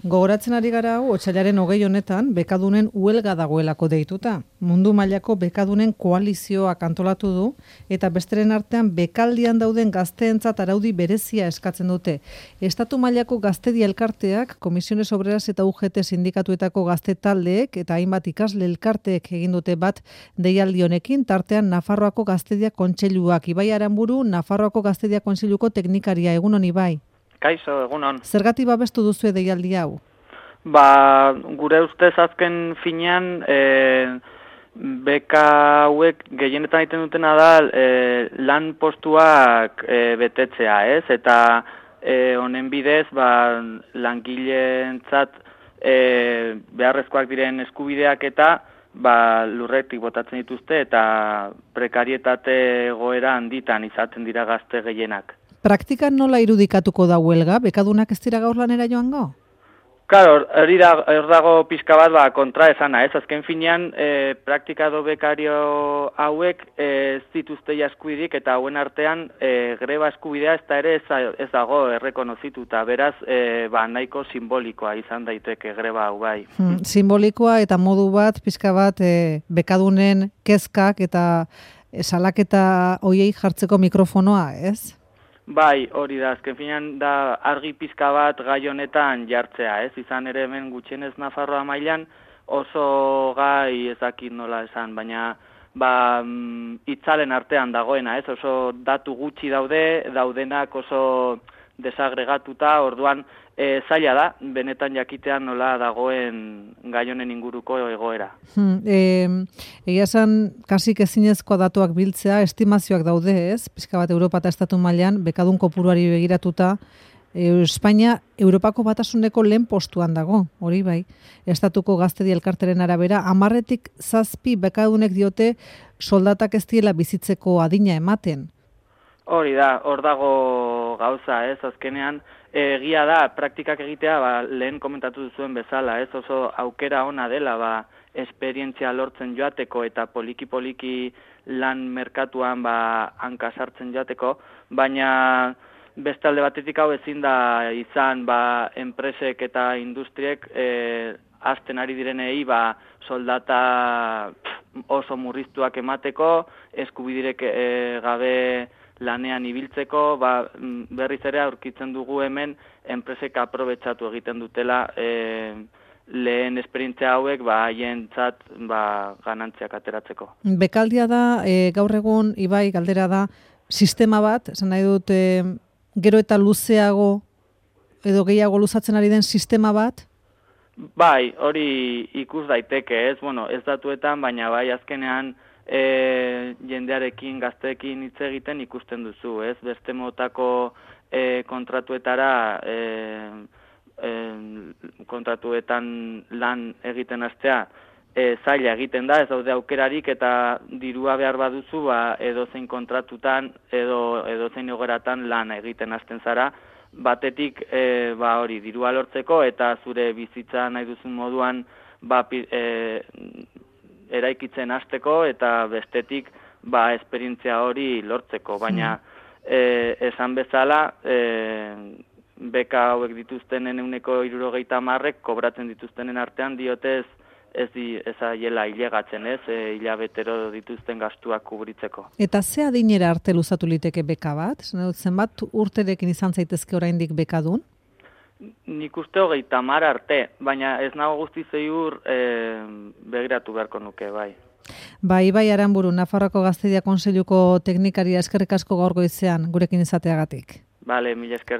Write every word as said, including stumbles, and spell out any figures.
Gogoratzen ari gara hau, otsailaren hogei honetan, bekadunen huelga dagoelako deituta. Mundu mailako bekadunen koalizioak antolatu du, eta besteren artean bekaldian dauden gazteentzat araudi berezia eskatzen dute. Estatu mailako gaztedi elkarteak, Komisiones Obreras eta U G T sindikatuetako gazte taldeek eta hainbat ikasle elkarteek egin dute bat deialdi honekin, tartean Nafarroako Gaztedia Kontseiluak. Ibai Aranburu, Nafarroako Gaztedia Kontseiluko teknikaria, egun honi bai. Kaixo, egunon. Zergatik babestu duzu deialdi hau? Ba, gure ustez azken finean, e, beka hauek gehienetan egiten dutena da e, lan postuak e, betetzea, ez? Eta e, honen bidez, ba, langileentzat e, beharrezkoak diren eskubideak eta ba, lurretik botatzen dituzte eta prekarietate egoera handitan izaten dira gazte gehienak. Praktikan nola irudikatuko da huelga? Bekadunak ez dira gaur lanera joango? Claro, hori da, hor dago pixka bat ba, kontra esana, ez? Azken finean, e, praktikado bekario hauek e, ez dituzte eskubidik eta hauen artean e, greba eskubidea ez da ere ez, ez dago errekonozituta. Beraz, e, ba, nahiko simbolikoa izan daiteke greba hau bai. Hmm, simbolikoa eta modu bat, pixka bat, e, bekadunen kezkak eta e, salaketa hoiei jartzeko mikrofonoa, ez? Bai, hori da, azken finean da argi pizka bat gai honetan jartzea, ez? Izan ere hemen gutxienez Nafarroa mailan oso gai ezakit nola esan, baina ba, itzalen artean dagoena, ez? Oso datu gutxi daude, daudenak oso desagregatuta, orduan e, zaila da, benetan jakitean nola dagoen gai honen inguruko egoera. Hmm, e, egia esan, kasik ezinezkoa datuak biltzea, estimazioak daude, ez? Pixka bat Europa eta Estatu mailan, bekadun kopuruari begiratuta, e, Espainia Europako batasuneko lehen postuan dago, hori bai. Estatuko Gaztedi elkarteren arabera, hamarretik zazpi bekadunek diote soldatak ez diela bizitzeko adina ematen. Hori da, hor dago gauza, ez, azkenean, egia da, praktikak egitea, ba, lehen komentatu duzuen bezala, ez, oso aukera ona dela, ba, esperientzia lortzen joateko eta poliki-poliki lan merkatuan, ba, hanka sartzen joateko, baina beste alde batetik hau ezin da izan, ba, enpresek eta industriek, e, hasten ari direnei, ba, soldata pff, oso murriztuak emateko, eskubidirek e, gabe lanean ibiltzeko, ba, berriz ere aurkitzen dugu hemen enpresek aprobetxatu egiten dutela e, lehen esperientzia hauek ba, haientzat ba, ganantziak ateratzeko. Bekaldia da, e, gaur egun, Ibai, galdera da, sistema bat, esan nahi dut, e, gero eta luzeago edo gehiago luzatzen ari den sistema bat? Bai, hori ikus daiteke, ez, bueno, ez datuetan, baina bai azkenean E, jendearekin, gazteekin hitz egiten ikusten duzu, ez? Beste motako e, kontratuetara, e, e, kontratuetan lan egiten hastea e, zaila egiten da, ez daude aukerarik eta dirua behar baduzu, ba, edozein kontratutan, edo edozein egoeratan lan egiten hasten zara, batetik e, ba, hori dirua lortzeko eta zure bizitza nahi duzun moduan ba, e, eraikitzen hasteko eta bestetik ba esperientzia hori lortzeko, baina e, esan bezala e, beka hauek dituztenen ehuneko hirurogeita hamarrek kobratzen dituztenen artean diotez ez di ezaiela ilegatzen, ez, e, hilabetero dituzten gastuak kubritzeko. Eta ze adinera arte luzatu liteke beka bat? Zenbat urterekin izan zaitezke oraindik bekadun? Nik uste hogeita hamar arte, baina ez nago guzti ziur e, begiratu beharko nuke, bai. Bai, Ibai Aranburu, Nafarroako Gaztedia Kontseiluko teknikaria, eskerrik asko gaur goizean gurekin izateagatik. Bale, mila esker